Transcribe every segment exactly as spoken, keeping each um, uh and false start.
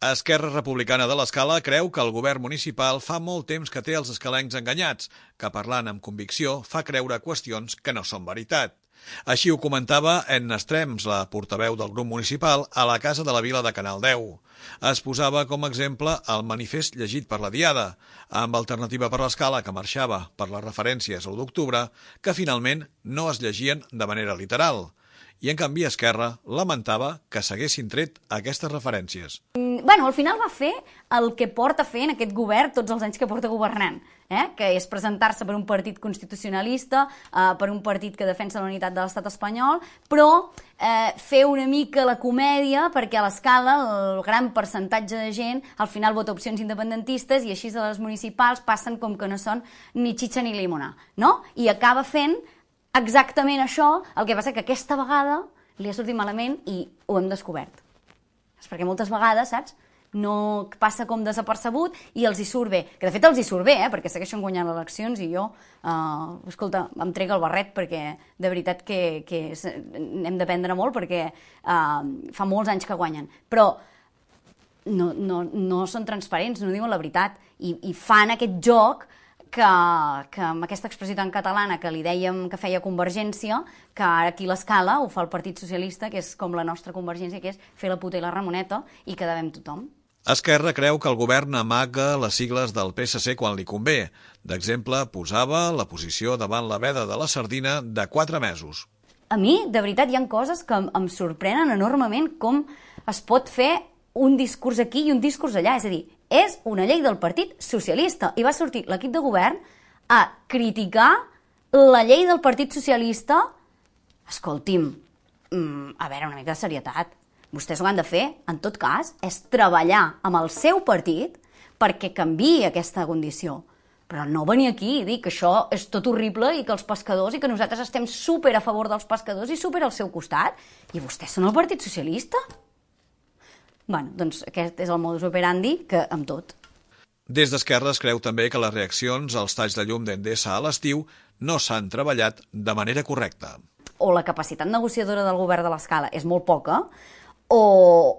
Esquerra Republicana de l'Escala creu que el govern municipal fa molt temps que té els escalencs enganyats, que parlant amb convicció fa creure qüestions que no són veritat. Així ho comentava Edna Estrems, la portaveu del grup municipal, a la Casa de la Vila de Canal deu. Es posava com a exemple el manifest llegit per la Diada, amb Alternativa per l'Escala, que marxava per les referències a l'u d'octubre, que finalment no es llegien de manera literal. I, en canvi, Esquerra lamentava que s'haguessin tret aquestes referències. Bueno, al final va fer el que porta fent aquest govern tots els anys que porta governant, eh? que és presentar-se per un partit constitucionalista, eh, per un partit que defensa la unitat de l'estat espanyol, però eh, fer una mica la comèdia perquè a l'Escala el gran percentatge de gent al final vota opcions independentistes i així a les municipals passen com que no són ni xitxa ni llimona, no? I acaba fent exactament això, el que passa que aquesta vegada li ha sortit malament i ho hem descobert. És perquè moltes vegades, saps, no passa com desapercebut i els hi surt bé. Que de fet els hi surt bé, eh, perquè segueixen guanyant les eleccions i jo, eh, escolta, em trec el barret perquè de veritat que, que hem d'aprendre molt perquè eh, fa molts anys que guanyen. Però no, no, no són transparents, no diuen la veritat i, i fan aquest joc que, que amb aquesta expressió tan catalana que li dèiem que feia Convergència, que ara aquí l'Escala ho fa el Partit Socialista, que és com la nostra Convergència, que és fer la puta i la Ramoneta i quedar bé amb tothom. Esquerra creu que el govern amaga les sigles del P S C quan li convé. D'exemple, posava la posició davant la veda de la sardina de quatre mesos. A mi, de veritat, hi ha coses que em sorprenen enormement com es pot fer un discurs aquí i un discurs allà. És a dir, és una llei del Partit Socialista i va sortir l'equip de govern a criticar la llei del Partit Socialista. Escolti'm, a veure, una mica de serietat. Vostès ho han de fer, en tot cas, és treballar amb el seu partit perquè canviï aquesta condició. Però no venir aquí i dir que això és tot horrible i que els pescadors i que nosaltres estem súper a favor dels pescadors i súper al seu costat. I vostès són el Partit Socialista? Bueno, doncs aquest és el modus operandi que amb tot. Des d'Esquerra es creu també que les reaccions als talls de llum d'Endesa a l'estiu no s'han treballat de manera correcta. O la capacitat negociadora del govern de l'Escala és molt poca, o,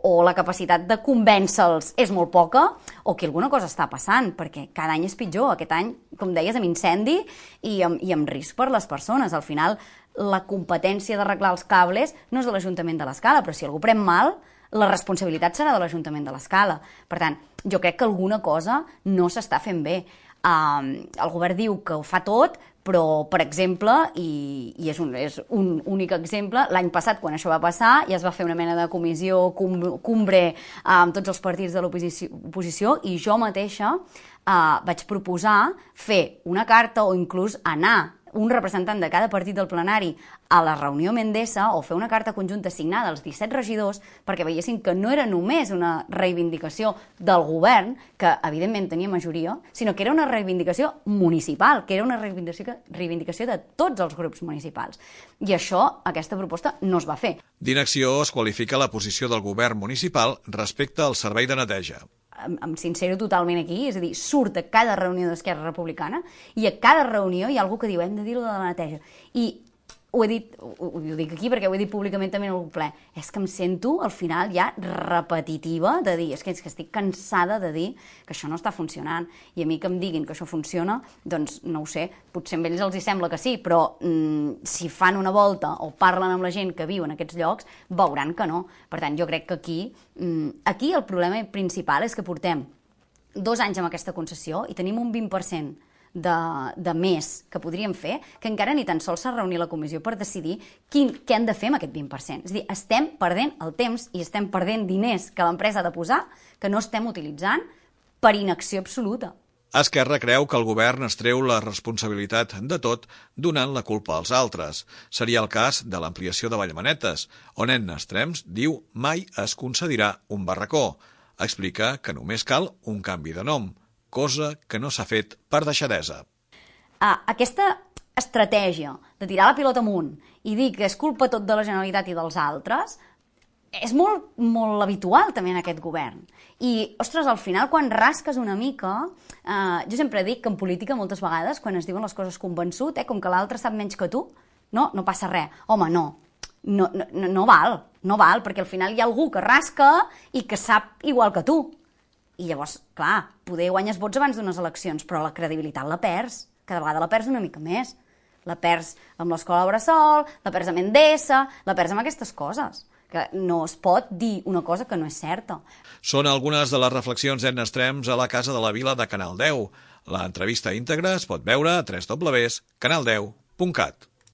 o la capacitat de convèncer-los és molt poca, o que alguna cosa està passant, perquè cada any és pitjor. Aquest any, com deies, amb incendi i amb, i amb risc per les persones. Al final, la competència d'arreglar els cables no és de l'Ajuntament de l'Escala, però si algú pren mal, la responsabilitat serà de l'Ajuntament de l'Escala. Per tant, jo crec que alguna cosa no s'està fent bé. Uh, el govern diu que ho fa tot, però, per exemple, i, i és, un, és un únic exemple, l'any passat, quan això va passar, ja es va fer una mena de comissió cumbre uh, amb tots els partits de l'oposició i jo mateixa uh, vaig proposar fer una carta o inclús anar un representant de cada partit del plenari a la reunió amb Endesa o fer una carta conjunta signada als disset regidors perquè veiessin que no era només una reivindicació del govern, que evidentment tenia majoria, sinó que era una reivindicació municipal, que era una reivindicació, reivindicació de tots els grups municipals. I això, aquesta proposta, no es va fer. D'inacció es qualifica la posició del govern municipal respecte al servei de neteja. Em, em sincero totalment aquí, és a dir, surt a cada reunió d'Esquerra Republicana i a cada reunió hi ha algú que diu hem de dir-ho de la neteja. I ho he dit, ho, ho dic aquí perquè ho he dit públicament també en algun ple, és que em sento al final ja repetitiva de dir, és que, és que estic cansada de dir que això no està funcionant i a mi que em diguin que això funciona, doncs no ho sé, potser a ells els hi sembla que sí, però mm, si fan una volta o parlen amb la gent que viu en aquests llocs, veuran que no. Per tant, jo crec que aquí, mm, aquí el problema principal és que portem dos anys amb aquesta concessió i tenim un vint per cent De, de més que podríem fer, que encara ni tan sols s'ha reunit la comissió per decidir quin, què han de fer amb aquest vint per cent. És a dir, estem perdent el temps i estem perdent diners que l'empresa ha de posar que no estem utilitzant per inacció absoluta. Esquerra creu que el govern es treu la responsabilitat de tot donant la culpa als altres. Seria el cas de l'ampliació de Vallmanetes, on Edna Estrems diu mai es concedirà un barracó. Explica que només cal un canvi de nom, cosa que no s'ha fet per deixadesa. Ah, aquesta estratègia de tirar la pilota amunt i dir que és culpa tot de la Generalitat i dels altres és molt, molt habitual també en aquest govern. I, ostres, al final, quan rasques una mica, eh, jo sempre dic que en política moltes vegades, quan es diuen les coses convençut, eh, com que l'altre sap menys que tu, no, no passa res. Home, no. no, no, no val, no val, perquè al final hi ha algú que rasca i que sap igual que tu. I llavors, clar, poder guanyes vots abans d'unes eleccions, però la credibilitat la perds. Cada vegada la perds una mica més. La perds amb l'escola Bressol, la perds amb Endesa, la perds amb aquestes coses, que no es pot dir una cosa que no és certa. Són algunes de les reflexions d'Edna Estrems a la Casa de la Vila de Canal deu. L'entrevista íntegra es pot veure a w w w punt canal deu punt cat.